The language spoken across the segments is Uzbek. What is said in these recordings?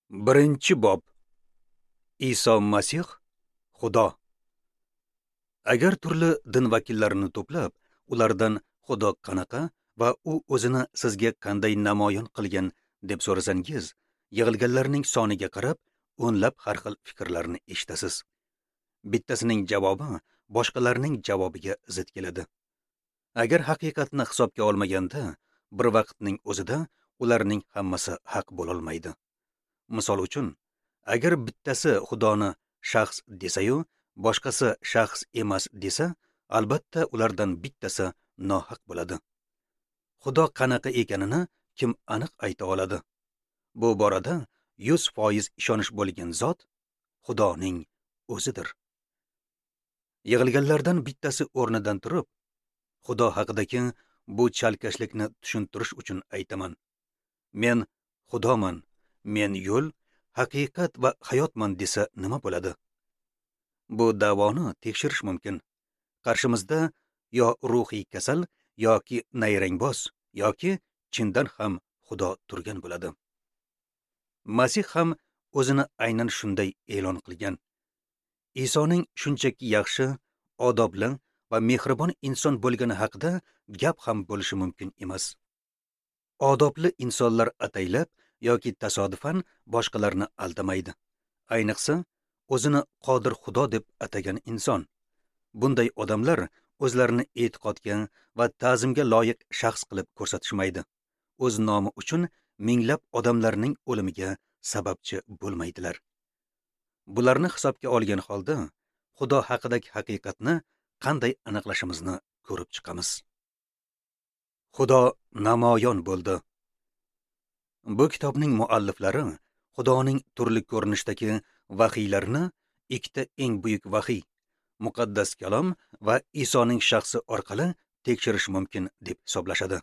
Birinchi bob. Iso Masih Xudo. Agar turli din vakillarini to'plab, ulardan Xudo qanaqa va u o'zini sizga qanday namoyon qilgan deb so'rasangiz, yig'ilganlarning soniga qarab o'nlab har xil fikrlarni eshitasiz. Bittasining javobi boshqalarning javobiga zid keladi. Agar haqiqatni hisobga olmaganda, bir vaqtning o'zida ularning hammasi haq bo'lolmaydi. Misol uchun, agar bittasi Xudoni shaxs desa-yu, boshqasi shaxs emas desa, albatta ulardan bittasi nohaq bo'ladi. Xudo qanaqa ekanini kim aniq ayta oladi? Bu borada 100% ishonish bo'lgan zot Xudoning o'zidir. Yig'ilganlardan bittasi o'rnidan turib, Xudo haqidagi bu chalkashlikni tushuntirish uchun aytaman. Men Xudoman, men yo'l, haqiqat va hayotman desa nima bo'ladi? Bu da'voni tekshirish mumkin. Qarshimizda yo ruhiy kasal yoki nayrangboz yoki chindan ham Xudo turgan bo'ladi. Masih ham o'zini aynan shunday e'lon qilgan. Isoning shunchaki yaxshi, odobli va mehribon inson bo'lgani haqida gap ham bo'lishi mumkin emas. Odobli insonlar ataylab yoki tasodifan boshqalarni aldamaydi. Ayniqsa, o'zini qodir Xudo deb atagan inson. Bunday odamlar o'zlarini e'tiqodga va ta'zimga loyiq shaxs qilib ko'rsatishmaydi. O'z nomi uchun minglab odamlarning o'limiga sababchi bo'lmaydilar. Bularni hisobga olgan holda Xudo haqidagi haqiqatni qanday aniqlashimizni ko'rib chiqamiz. Xudo namoyon bo'ldi. Bu kitobning mualliflari Xudoning turli ko'rinishdagi vahiylarini ikkita eng buyuk vahiy, muqaddas kalom va Isoning shaxsi orqali tekshirish mumkin deb hisoblashadi.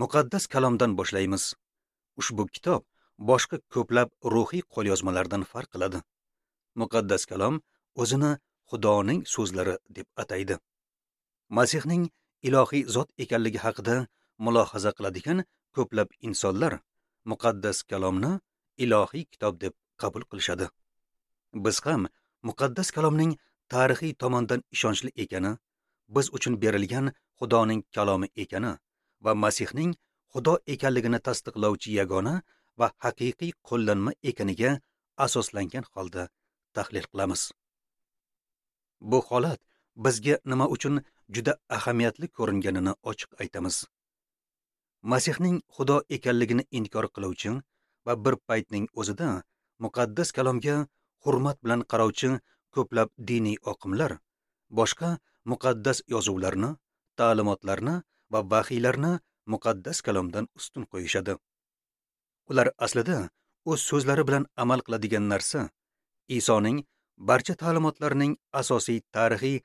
Muqaddas kalomdan boshlaymiz. Ushbu kitob boshqa ko'plab ruhiy qo'lyozmalardan farq qiladi. Muqaddas kalom o'zini Xudoning so'zlari deb ataydi. Masihning ilohiy zot ekanligi haqida mulohaza qiladigan ko'plab insonlar muqaddas kalomni ilohiy kitob deb qabul qilishadi. Biz ham muqaddas kalomning tarixiy tomondan ishonchli ekani, biz uchun berilgan Xudoning kalomi ekani va Masihning Xudo ekanligini tasdiqlovchi yagona va haqiqiy qo'llanma ekaniga asoslangan holda tahlil qilamiz. Bu holat bizga nima uchun juda ahamiyatli ko'ringanini ochiq aytamiz. Masihning Xudo ekanligini inkor qiluvchi va bir paytning o'zida muqaddas kalomga hurmat bilan qarovchi ko'plab diniy oqimlar boshqa muqaddas yozuvlarni, ta'limotlarni va vahiylarni muqaddas kalomdan ustun qo'yishadi. Ular aslida o'z so'zlari bilan amal qiladigan narsa Isoning barcha ta'limotlarining asosiy tarixiy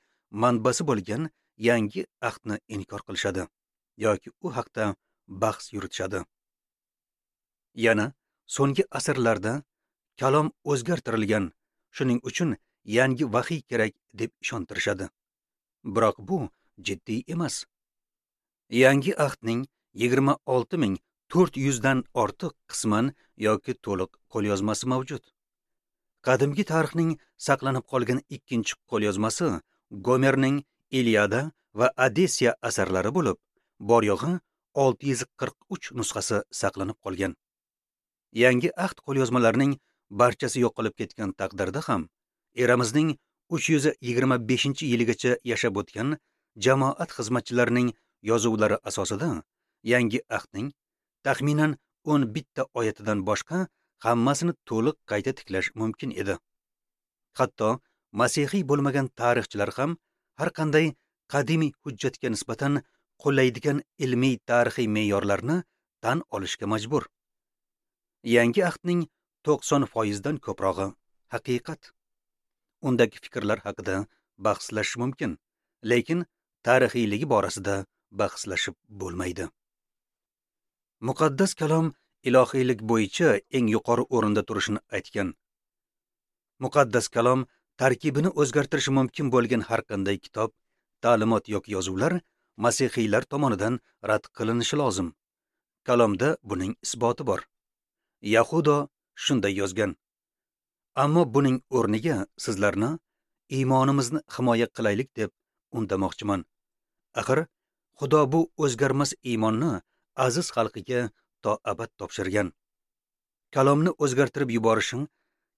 manbasi bo'lgan yangi ahdni inkor qilishadi yoki u haqda bahs yuritishadi. Yana so'nggi asrlarda kalom o'zgartirilgan, shuning uchun yangi vahiy kerak deb ishontirishadi. Biroq bu jiddiy emas. Yangi ahdning 26400 dan ortiq qisman yoki to'liq qo'lyozmasi mavjud. Qadimgi tarixning saqlanib qolgan ikkinchi qo'lyozmasi Gomerning Iliada va Odessiya asarlari bo'lib, bor yo'g'i 643 nusxasi saqlanib qolgan. Yangi ahd qo'lyozmalarining barchasi yo'qolib ketgan taqdirda ham eramizning 325-yiligacha yashab o'tgan jamoat xizmatchilarining yozuvlari asosida yangi ahdning taxminan 11 ta oyatidan boshqa hammasini to'liq qayta tiklash mumkin edi. Hatto masihiy bo'lmagan tarixchilar ham har qanday qadimiy hujjatga nisbatan qo'llaydigan ilmiy tarixiy me'yorlarni tan olishga majbur. Yangi ahdning 90% dan ko'prog'i haqiqat. Undagi fikrlar haqida bahslashish mumkin, lekin tarixiyligi borasida bahslashib bo'lmaydi. Muqaddas kalom ilohiylik bo'yicha eng yuqori o'rinda turishini aytgan. Muqaddas kalom tarkibini o'zgartirishi mumkin bo'lgan har qanday kitob, ta'limot yoki yozuvlar masihiylar tomonidan rad qilinishi lozim. Kalomda buning isboti bor. Yahudo shunday yozgan: Ammo buning o'rniga sizlarni iymonimizni himoya qilaylik deb undamoqchiman. Axir Xudo bu o'zgarmas iymonni aziz xalqiga to abad topshirgan. Kalomni o'zgartirib yuborishing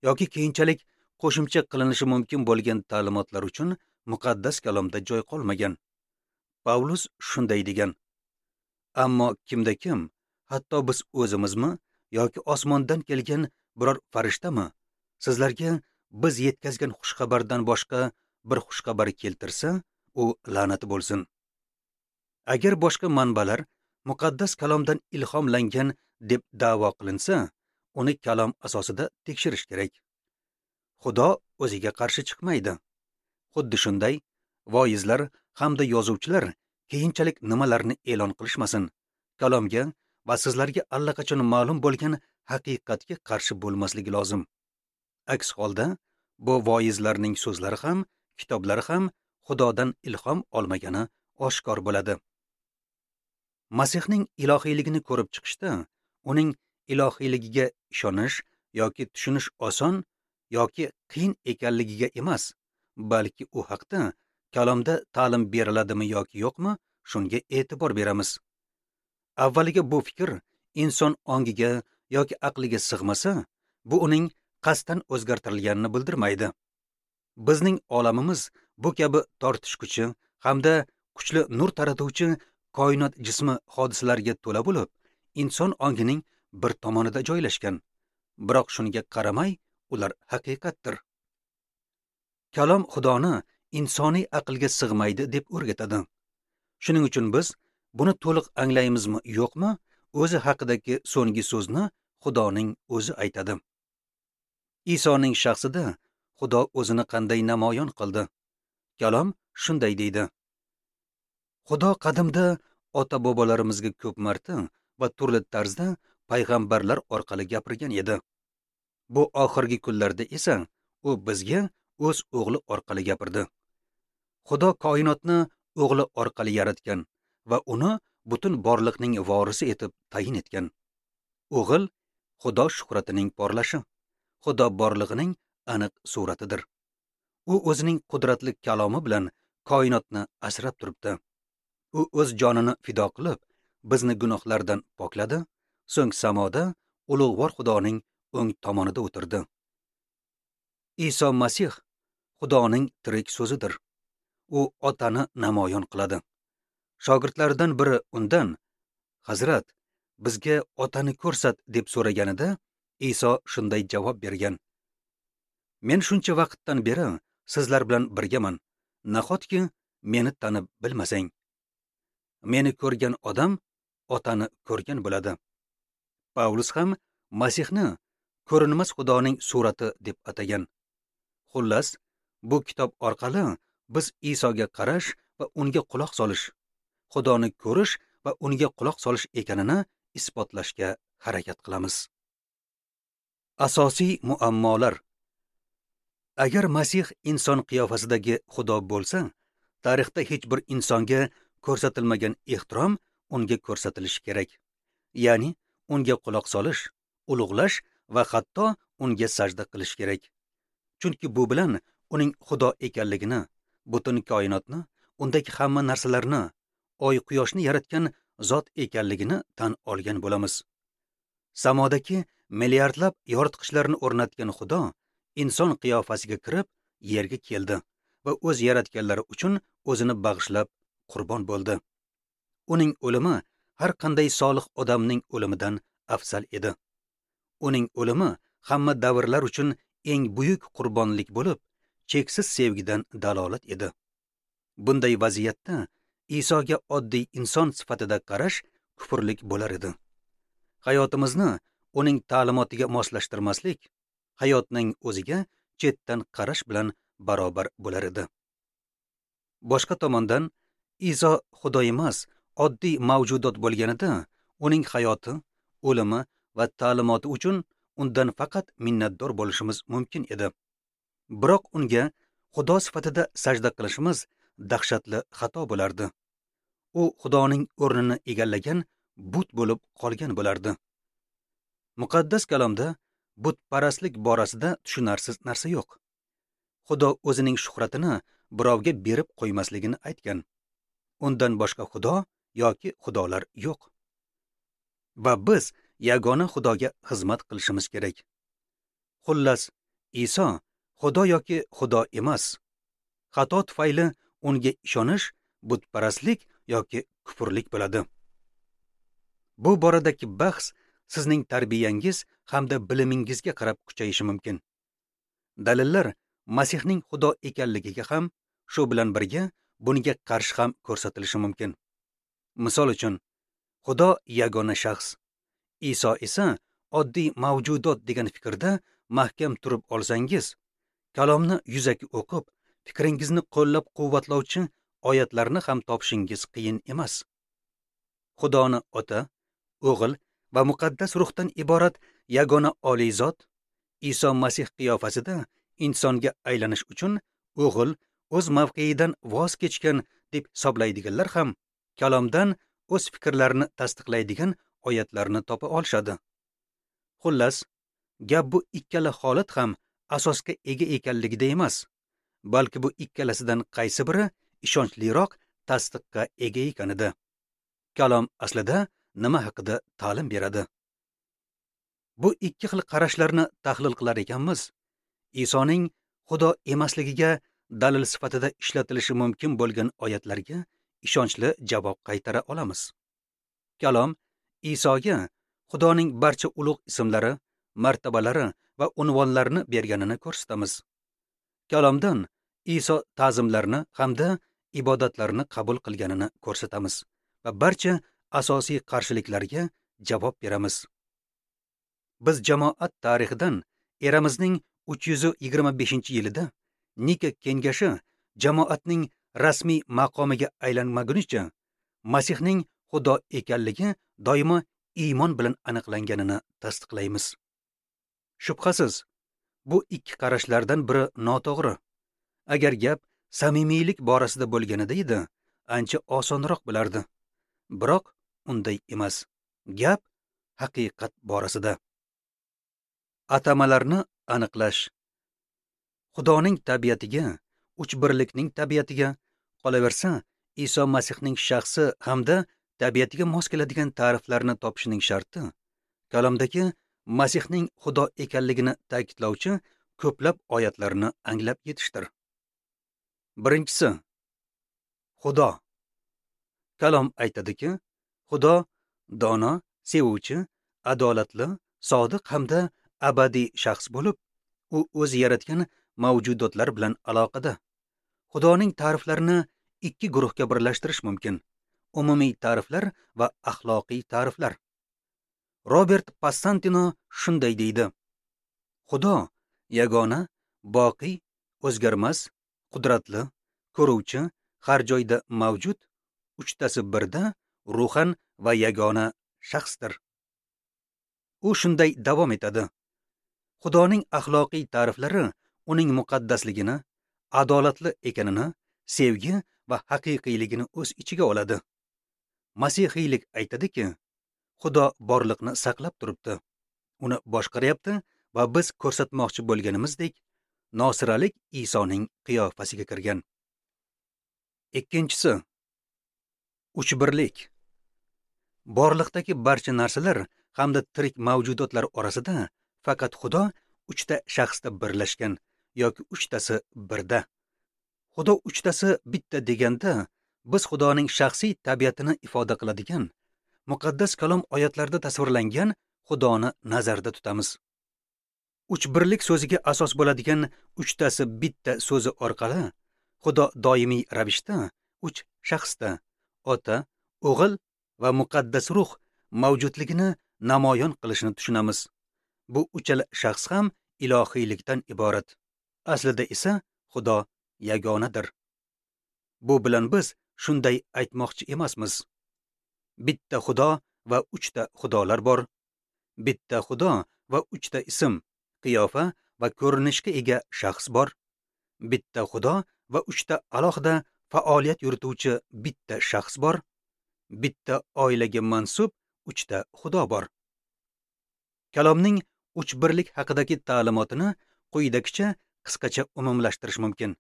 yoki keyinchalik qo'shimcha qilinishi mumkin bo'lgan ta'limotlar uchun muqaddas kalomda joy qolmagan. Pavlus shunday degan: Ammo kimda kim, hatto biz o'zimizmi yoki osmondan kelgan biror farishtami, sizlarga biz yetkazgan xushxabardan boshqa bir xushxabar keltirsa, u la'nati bo'lsin. Agar boshqa manbalar muqaddas kalomdan ilhomlangan deb da'vo qilinsa, uni kalom asosida tekshirish kerak. Xudo o'ziga qarshi chiqmaydi. Xuddi shunday, voizlar hamda yozuvchilar keyinchalik nimalarni e'lon qilishmasin, kalomga va sizlarga allaqachon ma'lum bo'lgan haqiqatga qarshi bo'lmasligi lozim. Aks holda bu voizlarning so'zlari ham, kitoblari ham Xudodan ilhom olmagani oshkor bo'ladi. Masihning ilohiyligini ko'rib chiqishda uning ilohiyligiga ishonish yoki tushunish oson yoki qiyin ekanligiga emas, balki u haqda kalomda ta'lim beriladimi yoki yo'qmi, shunga e'tibor beramiz. Avvaliga bu fikr inson ongiga yoki aqliga sig'masa, bu uning qasddan o'zgartirilganini bildirmaydi. Bizning olamimiz bu kabi tortishguchi hamda kuchli nur taratuvchi koinot jismi hodisalariga to'la bo'lib, inson ongining bir tomonida joylashgan. Biroq shunga qaramay, ular haqiqatdir. Kalom Xudoni insoniy aqlga sig'maydi deb o'rgatadi. Shuning uchun biz buni to'liq anglaymizmi, yo'qmi, o'zi haqidagi so'nggi so'zni Xudoning o'zi aytadi. Isoning shaxsida Xudo o'zini qanday namoyon qildi? Kalom shunday deydi: Xudo qadimda ota-bobolarimizga ko'p marta va turli tarzda payg'ambarlar orqali gapirgan edi. Bu oxirgi kunlarda esa u bizga o'z o'g'li orqali gapirdi. Xudo koinotni o'g'li orqali yaratgan va uni butun borliqning vorisi etib tayin etgan. O'g'il Xudo shuhratining porlashi, Xudo borlig'ining aniq suratidir. U o'zining qudratli kalomi bilan koinotni asrab turibdi. U o'z jonini fido qilib, bizni gunohlardan pokladi, so'ng samoda ulug'vor Xudoning o'ng tomonida o'tirdi. Iso Masih Xudoning tirik so'zidir. U otani namoyon qiladi. Shogirdlaridan biri undan: "Hazrat, bizga otani ko'rsat" deb so'raganida, Iso shunday javob bergan: "Men shuncha vaqtdan beri sizlar bilan birgaman. Nahotki meni tanib bilmasang? Meni ko'rgan odam otani ko'rgan bo'ladi." Pavlus ham Masihni ko'rinmas Xudoning surati deb atagan. Xullas, bu kitob orqali biz Isoga qarash va unga quloq solish, Xudoni ko'rish va unga quloq solish ekanini isbotlashga harakat qilamiz. Asosiy muammolar. Agar Masih inson qiyofasidagi Xudo bo'lsa, tarixda hech bir insonga ko'rsatilmagan ehtirom unga ko'rsatilishi kerak. Ya'ni unga quloq solish, ulug'lash va hatto unga sajda qilish kerak. Chunki bu bilan uning Xudo ekanligini, butun koinotni, undagi hamma narsalarni, oy quyoshni yaratgan zot ekanligini tan olgan bo'lamiz. Samodagi milliardlab yoritqichlarni o'rnatgan Xudo inson qiyofasiga kirib yerga keldi va o'z yaratganlari uchun o'zini bag'ishlab qurbon bo'ldi. Uning o'limi har qanday solih odamning o'limidan afzal edi. Uning o'limi hamma davrlar uchun eng buyuk qurbonlik bo'lib, cheksiz sevgidan dalolat edi. Bunday vaziyatda Isoga oddiy inson sifatida qarash kufrlik bo'lar edi. Hayotimizni uning ta'limotiga moslashtirmaslik hayotning o'ziga chetdan qarash bilan barobar bo'lar edi. Boshqa tomondan, Iso Xudo emas, oddiy mavjudot bo'lganida uning hayoti, o'limi va ta'limoti uchun undan faqat minnatdor bo'lishimiz mumkin edi. Biroq unga Xudo sifatida sajda qilishimiz dahshatli xato bo'lardi. U Xudoning o'rnini egallagan but bo'lib qolgan bo'lardi. Muqaddas kalomda Butparastlik borasida tushunarsiz narsa yo'q. Xudo o'zining shuhratini birovga berib qo'ymasligini aytgan. Undan boshqa xudo yoki xudolar yo'q. Va biz yagona Xudoga xizmat qilishimiz kerak. Xullas, Iso Xudo yoki Xudo emas. Xato tufayli unga ishonish butparastlik yoki kufrlik bo'ladi. Bu boradagi bahs sizning tarbiyangiz hamda bilimingizga qarab kuchayishi mumkin. Dalillar Masihning Xudo ekanligiga ham, shu bilan birga bunga qarshi ham ko'rsatilishi mumkin. Misol uchun, Xudo yagona shaxs, Iso esa oddiy mavjudot degan fikrda mahkam turib olsangiz, kalomni yuzaki o'qib, fikringizni qo'llab-quvvatlovchi oyatlarni ham topishingiz qiyin emas. Xudoni Ota, O'g'il va Muqaddas Ruhdan iborat yagona oliy zot Iso Masih qiyofasida insonga aylanish uchun O'g'il o'z mavqeidan voz kechgan deb hisoblaydiganlar ham kalomdan o'z fikrlarini tasdiqlaydigan oyatlarni topa olishadi. Xullas, gap bu ikkala holat ham asosga ega ekanligida emas, balki bu ikkalasidan qaysi biri ishonchliroq tasdiqqa ega ekanida. Kalom aslida nima haqida ta'lim beradi? Bu ikki xil qarashlarni tahlil qilar ekanmiz, Isoning Xudo emasligiga dalil sifatida ishlatilishi mumkin bo'lgan oyatlarga ishonchli javob qaytara olamiz. Kalom Isoga Xudoning barcha ulug' ismlari, martabalari va unvonlarini berganini ko'rsatamiz. Kalomdan Iso ta'zimlarni hamda ibodatlarni qabul qilganini ko'rsatamiz va barcha asosiy qarshiliklarga javob beramiz. Biz jamoat tarixidan eramizning 325-yilida Nika kengashi jamoatning rasmiy maqomiga aylanmagunicha Masihning Xudo ekanligi doimo iymon bilan aniqlanganini tasdiqlaymiz. Shubhasiz, bu ikki qarashlardan biri noto'g'ri. Agar gap samimiylik borasida bo'lganida edi, ancha osonroq bo'lardi. Biroq unday emas. Gap haqiqat borasida. Atamalarni aniqlash. Xudoning tabiatiga, uch birlikning tabiatiga, qolaversa, Iso Masihning shaxsi hamda tabiatiga mos keladigan ta'riflarni topishning sharti kalomdagi Masihning Xudo ekanligini ta'kidlovchi ko'plab oyatlarni anglab yetishdir. Birinchisi, Xudo. Kalom aytadiki, Xudo dono, sevuvchi, adolatli, sodiq hamda abadiy shaxs bo'lib, u o'zi yaratgan mavjudotlar bilan aloqada. Xudoning ta'riflarini ikki guruhga birlashtirish mumkin: umumiy ta'riflar va axloqiy ta'riflar. Robert Passantino shunday deydi: Xudo yagona, boqiy, o'zgarmas, qudratli, ko'ruvchi, har joyda mavjud, uchtasi birda, ruhan va yagona shaxsdir. U shunday davom etadi: Xudoning axloqiy ta'riflari uning muqaddasligini, adolatli ekanini, sevgi va haqiqiyligini o'z ichiga oladi. Masihiylik aytadiki, Xudo borliqni saqlab turibdi, uni boshqaryapti va biz ko'rsatmoqchi bo'lganimizdek, nosiralik Isoning qiyofasiga kirgan. Ikkinchisi, uchbirlik. Borliqdagi barcha narsalar hamda tirik mavjudotlar orasida faqat Xudo uchta shaxsda birlashgan yoki uchtasi birda. Xudo uchtasi bitta deganda biz Xudoning shaxsiy tabiatini ifoda qiladigan muqaddas kalom oyatlarida tasvirlangan Xudoni nazarda tutamiz. Uchbirlik so'ziga asos bo'ladigan uchtasi bitta so'zi orqali Xudo doimiy ravishda uch shaxsda Ota, O'g'il va Muqaddas Ruh mavjudligini namoyon qilishini tushunamiz. Bu uchala shaxs ham ilohiylikdan iborat. Aslida esa Xudo yagonadir. Bu bilan biz shunday aytmoqchi emasmiz. Bitta Xudo va uchta xudolar bor. Bitta Xudo va uchta ism, qiyofa va ko'rinishga ega shaxs bor. Bitta Xudo va uchta alohida faoliyat yurituvchi bitta shaxs bor. Bitta oilaga mansub uchta Xudo bor. Kalomning Uchbirlik haqidagi ta'limotini quyidagicha qisqacha umumlashtirish mumkin.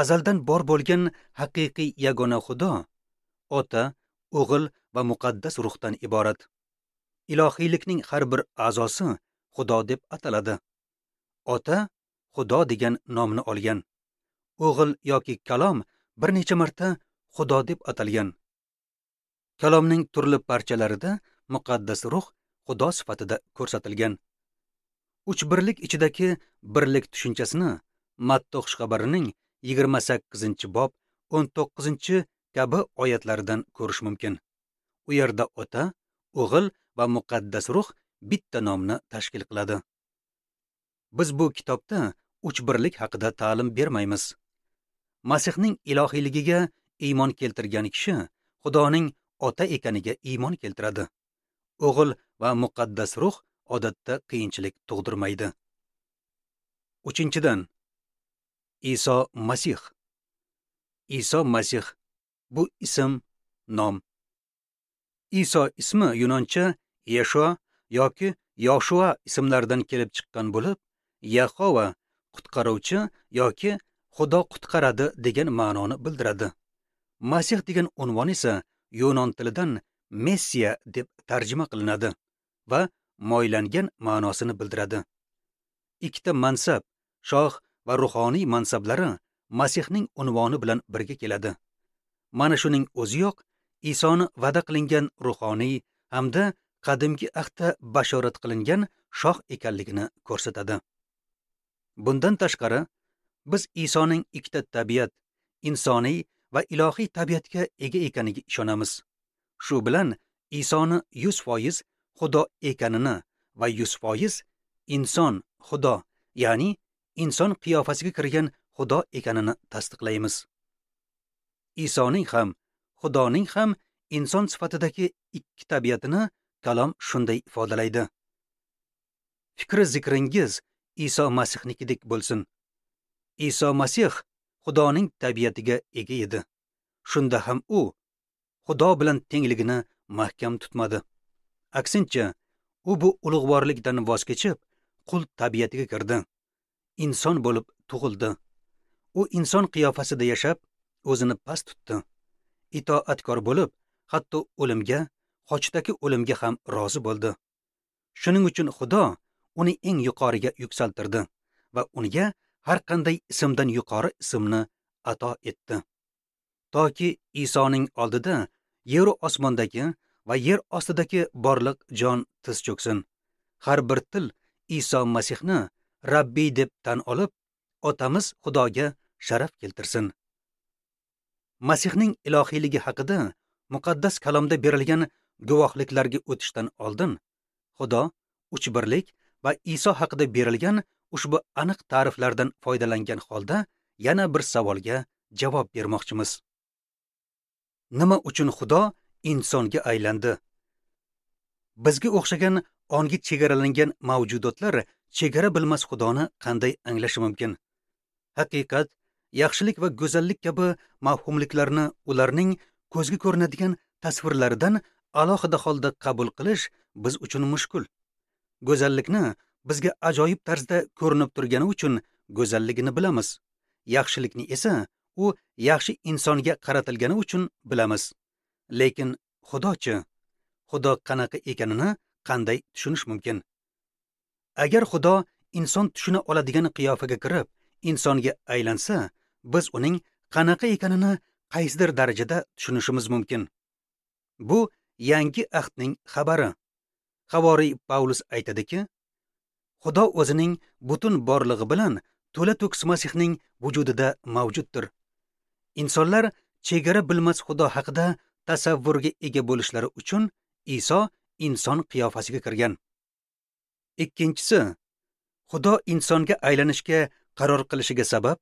Azaldan bor bo'lgan haqiqiy yagona Xudo Ota, O'g'il va Muqaddas Ruhdan iborat. Ilohiylikning har bir a'zosi Xudo deb ataladi. Ota Xudo degan nomni olgan. O'g'il yoki Kalom bir necha marta Xudo deb atalgan. Kalomning turli parchalarida Muqaddas Ruh Xudo sifatida ko'rsatilgan. Uchbirlik ichidagi birlik tushunchasini Matta xushxabarining 28-bob 19 kabi oyatlaridan ko'rish mumkin. U yerda Ota, O'g'il va Muqaddas Ruh bitta nomni tashkil qiladi. Biz bu kitobda uchbirlik haqida ta'lim bermaymiz. Masihning ilohiyligiga iymon keltirgan kishi Xudoning Ota ekaniga iymon keltiradi. O'g'il va Muqaddas Ruh odatda qiyinchilik tug'dirmaydi. 3-dan, Iso Masih. Iso Masih bu ism, nom. Iso ismi yunoncha Yeshua yoki Yoshua ismlaridan kelib chiqqan bo'lib, Yahova qutqaruvchi yoki Xudo qutqaradi degan ma'noni bildiradi. Masih degan unvon esa yunon tilidan Messiya deb tarjima qilinadi va moylangan ma'nosini bildiradi. Ikkita mansab, shoh va ruhoniy mansablari Masihning unvoni bilan birga keladi. Mana shuning o'ziyoq Isoni va'da qilingan ruhoniy hamda qadimgi ahdda bashorat qilingan shoh ekanligini ko'rsatadi. Bundan tashqari, biz Isoning ikkita tabiat, insoniy va ilohiy tabiatga ega ekaniga ishonamiz. Shu bilan Isoni 100% Xudo ekanini va 100% inson Xudo, ya'ni inson qiyofasiga kirgan Xudo ekanini tasdiqlaymiz. Isoning ham, Xudoning ham inson sifatidagi ikki tabiatini Kalom shunday ifodalaydi. Fikri zikringiz Iso Masihnikidek bo'lsin. Iso Masih Xudoning tabiatiga ega edi. Shunda ham u Xudo bilan tengligini mahkam tutmadi. Aksincha, u bu ulug'vorlikdan voz kechib, qul tabiatiga kirdi. Inson bo'lib tug'ildi. U inson qiyofasida yashab, o'zini past tutdi. Itoatkor bo'lib, hatto o'limga, xochdagi o'limga ham rozi bo'ldi. Shuning uchun Xudo uni eng yuqoriga yuksaltirdi va unga har qanday ismdan yuqori ismni ato etdi. Toki Isoning oldida yer osmondagi va yer ostidagi borliq jon tiz cho'ksin. Har bir til Iso Masihni Rabbiy deb tan olib, Otamiz Xudoga sharaf keltirsin. Masihning ilohiyligi haqida muqaddas kalomda berilgan guvohliklarga o'tishdan oldin Xudo, uchbirlik va Iso haqida berilgan ushbu aniq ta'riflardan foydalangan holda yana bir savolga javob bermoqchimiz. Nima uchun Xudo insonga aylandi? Bizga o'xshagan ongi chegaralangan mavjudotlar chegara bilmas Xudoni qanday anglashi mumkin? Haqiqat, yaxshilik va go'zallik kabi mavhumliklarni ularning ko'zga ko'rinadigan tasvirlaridan alohida holda qabul qilish biz uchun mushkul. Go'zallikni bizga ajoyib tarzda ko'rinib turgani uchun go'zalligini bilamiz. Yaxshilikni esa u yaxshi insonga qaratilgani uchun bilamiz. Lekin Xudochi? Xudo qanaqa ekanini qanday tushunish mumkin? Agar Xudo inson tushuna oladigan qiyofaga kirib, insonga aylansa, biz uning qanaqa ekanini qaysidir darajada tushunishimiz mumkin. Bu yangi ahdning xabari. Havoriy Pavlus aytadiki, Xudo o'zining butun borlig'i bilan to'la-to'kis Masihning vujudida mavjuddir. Insonlar chegara bilmas Xudo haqida tasavvurga ega bo'lishlari uchun Iso inson qiyofasiga kirgan. Ikkinchisi, Xudo insonga aylanishga qaror qilishiga sabab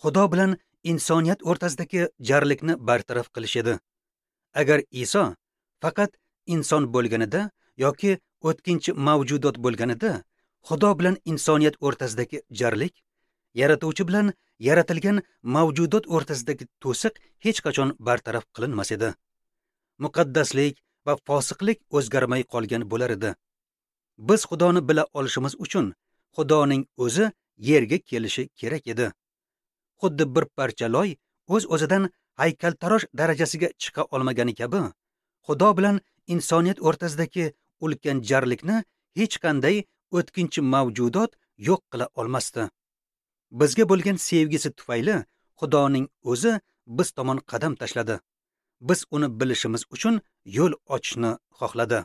Xudo bilan insoniyat o'rtasidagi jarlikni bartaraf qilish edi. Agar Iso faqat inson bo'lganida yoki o'tkinchi mavjudot bo'lganida, Xudo bilan insoniyat o'rtasidagi jarlik, yaratuvchi bilan yaratilgan mavjudot o'rtasidagi to'siq hech qachon bartaraf qilinmas edi. Muqaddaslik va fosiqlik o'zgarmay qolgan bo'lar edi. Biz Xudoni bila olishimiz uchun Xudoning o'zi yerga kelishi kerak edi. Xuddi bir parcha loy o'z-o'zidan haykaltarosh darajasiga chiqa olmagani kabi, Xudo bilan insoniyat o'rtasidagi ulkan jarlikni hech qanday o'tkinchi mavjudot yo'q qila olmasdi. Bizga bo'lgan sevgisi tufayli Xudoning o'zi biz tomon qadam tashladi. Biz uni bilishimiz uchun yo'l ochishni xohladi.